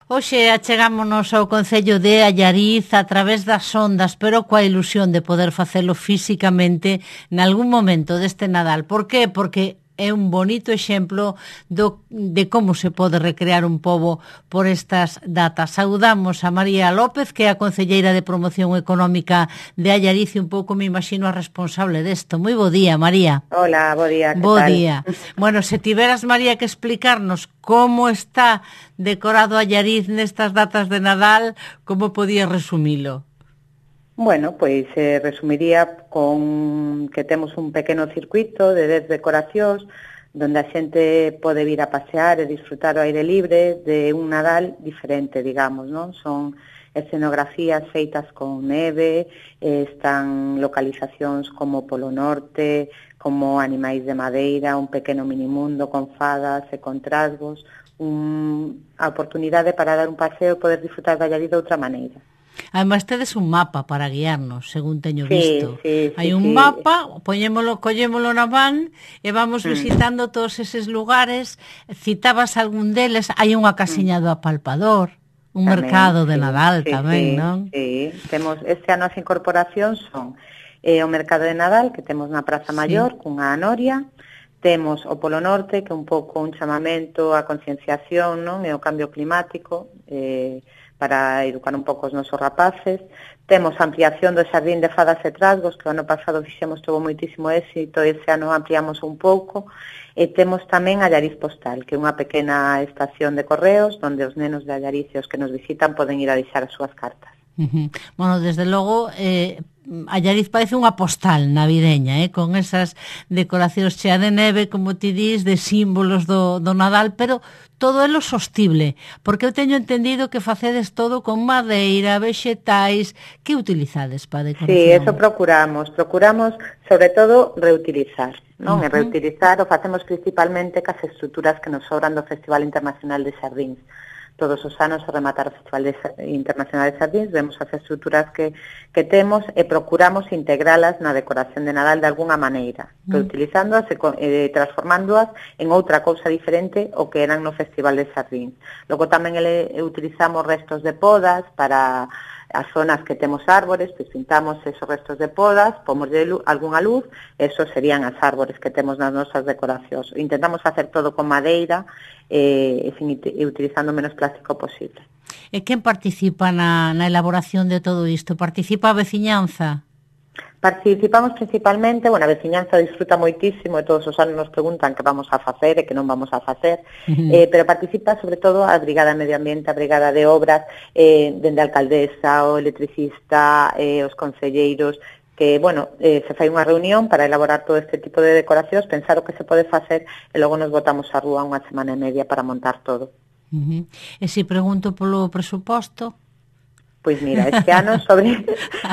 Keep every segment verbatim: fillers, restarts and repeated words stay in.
Hoxe achegámonos ao concello de Allariz a través das ondas, pero coa ilusión de poder facelo físicamente nalgún momento deste Nadal. Por qué? Porque é un bonito exemplo do, de como se pode recrear un pobo por estas datas. Saudamos a María López, que é a concelleira de Promoción Económica de Allariz, e un pouco me imagino a responsable desto. Moi bo día, María. Hola, bo día, que bo tal? día. Bueno, se tiveras, María, que explicarnos como está decorado Allariz nestas datas de Nadal, como podías resumilo? Bueno, pois eh, resumiría con que temos un pequeno circuito de dez decoracións donde a xente pode vir a pasear e disfrutar ao aire libre de un Nadal diferente, digamos, non? Son escenografías feitas con neve, eh, están localizacións como Polo Norte, como Animais de Madeira, un pequeno minimundo con fadas e con trasgos, un, a oportunidade para dar un paseo e poder disfrutar de Allariz de outra maneira. Ademais, tedes un mapa para guiarnos, según teño visto. Sí, sí, Hai sí, un sí. mapa, poñémolo, collémolo na van e vamos Mm. visitando todos eses lugares. Citabas algún deles, hai unha casiña do apalpador, un Tamén, mercado de sí, Nadal sí, tamén, sí, non? Sí, temos, este ano as incorporacións son eh, o mercado de Nadal, que temos na Praza Maior, Sí. cunha noria, temos o Polo Norte, que é un pouco un chamamento á concienciación, non, e ao cambio climático, eh, para educar un pouco os nosos rapaces. Temos a ampliación do Xardín de Fadas e Trasgos, que o ano pasado fixemos, todo moitísimo éxito, e ese ano ampliamos un pouco. E temos tamén Allariz Postal, que é unha pequena estación de correos, onde os nenos de Allariz e os que nos visitan poden ir a deixar as súas cartas. Uh-huh. Bueno, desde logo, eh, Allariz parece unha postal navideña, eh, con esas decoracións chea de neve, como ti dis, de símbolos do, do Nadal, pero todo é lo sostible, porque eu teño entendido que facedes todo con madeira, vexetais. Que utilizades para decoración? Sí, eso procuramos, procuramos sobre todo reutilizar, non? Uh-huh. E reutilizar o facemos principalmente cas estruturas que nos sobran do Festival Internacional de Xardíns. Todos os anos, ao rematar o Festival de Internacional de Xardíns, vemos as estruturas que, que temos e procuramos integralas na decoración de Nadal de alguna maneira, mm. reutilizándoas e eh, transformándoas en outra cousa diferente o que eran no Festival de Xardíns. Logo tamén ele, utilizamos restos de podas para as zonas que temos árbores, pois pintamos esos restos de podas, pomos de luz, algunha luz, esos serían as árbores que temos nas nosas decoracións. Intentamos facer todo con madeira e, e utilizando o menos plástico posible. E quen participa na, na elaboración de todo isto? Participa a veciñanza? Participamos principalmente, bueno, a veciñanza disfruta moitísimo e todos os anos nos preguntan que vamos a facer e que non vamos a facer, uh-huh. eh, pero participa sobre todo a Brigada de Medio Ambiente, a Brigada de Obras, eh, dende a alcaldesa, o electricista, eh, os concelleiros, que, bueno, eh, se fai unha reunión para elaborar todo este tipo de decoracións, pensar o que se pode facer e logo nos botamos á rúa unha semana e media para montar todo. Uh-huh. E se pregunto polo presuposto? Pois mira, este ano sobre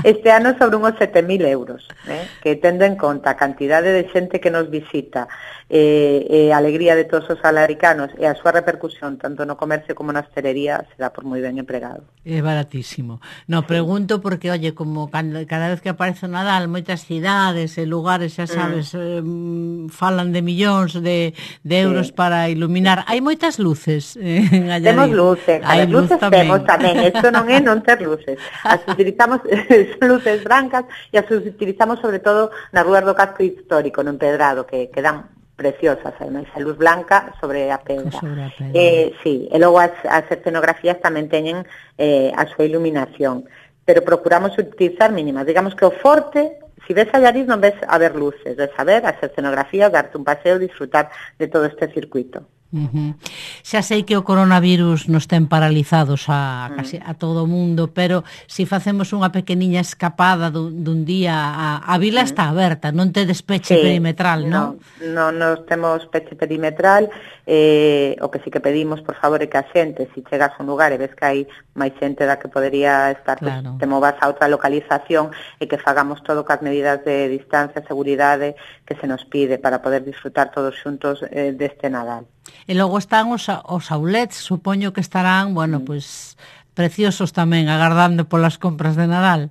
este ano sobre unhos sete mil euros, eh, que tendo en conta a cantidade de xente que nos visita, e eh, eh, a alegría de todos os alaricanos e a súa repercusión tanto no comercio como na hostelería, será por moi ben empregado. É baratísimo. No, pregunto porque, oye, como cada vez que aparece o Nadal, moitas cidades e lugares, xa sabes, mm. eh, falan de millóns de, de euros sí. para iluminar. Hai moitas luces eh, en Allariz. Temos luces, a ver, luces tamén. Temos tamén, isto non é non ter luces. As utilizamos, son luces brancas e as utilizamos sobre todo nas rúas do casco histórico, no empedrado, que quedan preciosas, además, a luz blanca sobre a pedra. Sobre a pedra. Eh, sí, e logo as, as escenografías tamén teñen eh, a súa iluminación, pero procuramos utilizar mínimas. Digamos que o forte, si ves Allariz non ves a ver luces, ves a ver as escenografías, darte un paseo, disfrutar de todo este circuito. Uh-huh. Xa sei que o coronavirus nos ten paralizados a, casi a todo o mundo, pero se si facemos unha pequeniña escapada dun, dun día, a, a vila uh-huh. está aberta, non te despeche sí, perimetral, non? Non, non nos temos peche perimetral, eh, o que sí que pedimos, por favor, é que a xente, se si chegas a un lugar e ves que hai máis xente da que podería estar, claro. Pues, te movas a outra localización e que fagamos todo cas medidas de distancia e seguridade que se nos pide para poder disfrutar todos xuntos eh, deste Nadal. E logo están os, os outlets, supoño que estarán, bueno, mm. pues preciosos tamén, agardando polas compras de Nadal.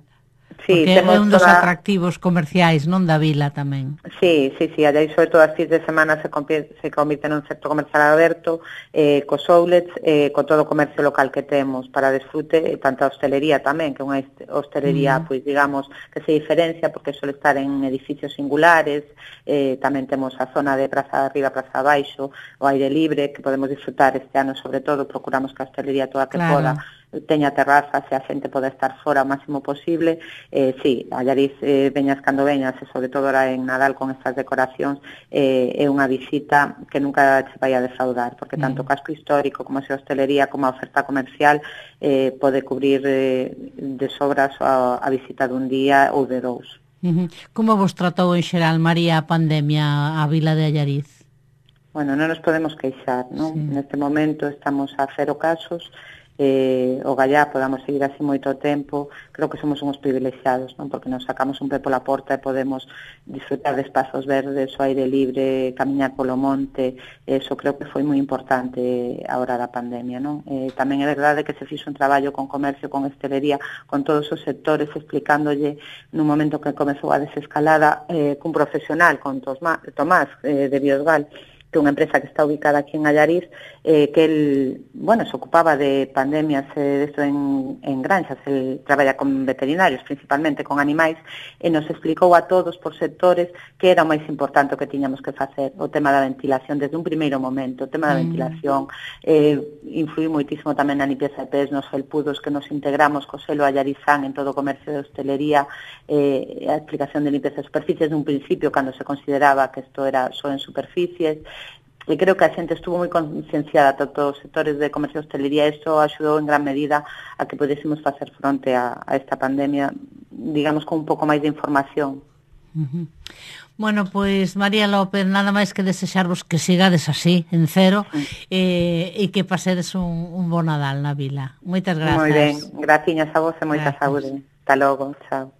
Sí, porque é un dos toda... atractivos comerciais, non, da vila tamén. Sí, sí, sí, allá sobre todo as fins de semana se, se convirte nun sector comercial aberto, eh, cos outlets, eh, co todo o comercio local que temos para desfrute, e tanta hostelería tamén, que é unha hostelería, mm. pois digamos, que se diferencia porque suele estar en edificios singulares, eh, tamén temos a zona de Praza Arriba, Praza Abaixo, o aire libre, que podemos disfrutar este ano sobre todo, procuramos que a hostelería toda que claro. poda teña terrazas e a xente pode estar fora o máximo posible. Eh, sí, a Allariz eh, veñas cando veñas, e sobre todo ahora en Nadal con estas decoracións, eh, é unha visita que nunca se vai a defraudar, porque tanto o casco histórico como a hostelería como a oferta comercial eh, pode cubrir eh, de sobras a, a visita dun día ou de dous. Uh-huh. Como vos tratou en xeral, María, a pandemia a vila de Allariz? Bueno, non nos podemos queixar, non? Sí. Neste momento estamos a cero casos, eh, o gallá podamos seguir así moito tempo, creo que somos uns privilexiados, non? Porque nos sacamos un pé pola porta e podemos disfrutar de espazos verdes, o aire libre, camiñar polo monte, eso creo que foi moi importante a hora da pandemia, non? Eh, tamén é verdade que se fixo un traballo con comercio, con hostelería, con todos os sectores, explicándolle nun momento que comezou a desescalada eh, cun profesional, con Tomás, Tomás eh, de Biosgal, que é unha empresa que está ubicada aquí en Allariz, eh, que él, bueno, se ocupaba de pandemias eh, de esto en, en granxas, él traballa con veterinarios, principalmente con animais, e nos explicou a todos por sectores que era o máis importante o que tiñamos que facer, o tema da ventilación desde un primeiro momento, o tema da mm. ventilación, eh, influí moitísimo tamén na limpieza de pés, nos felpudos que nos integramos co selo Allarizán en todo o comercio de hostelería, eh, a explicación de limpieza de superficies nun principio cando se consideraba que isto era só en superficies. E creo que a xente estuvo moi concienciada, tanto os sectores de comercio e hostelería, e iso axudou en gran medida a que podésemos facer fronte a, a esta pandemia, digamos, con un pouco máis de información. Uh-huh. Bueno, pois, María López, nada máis que desexarvos que sigades así, en cero, uh-huh. eh, e que pasedes un, un bon Nadal na vila. Moitas grazas. Moi ben, graciñas a vos e moita saúde. Hasta logo, chao.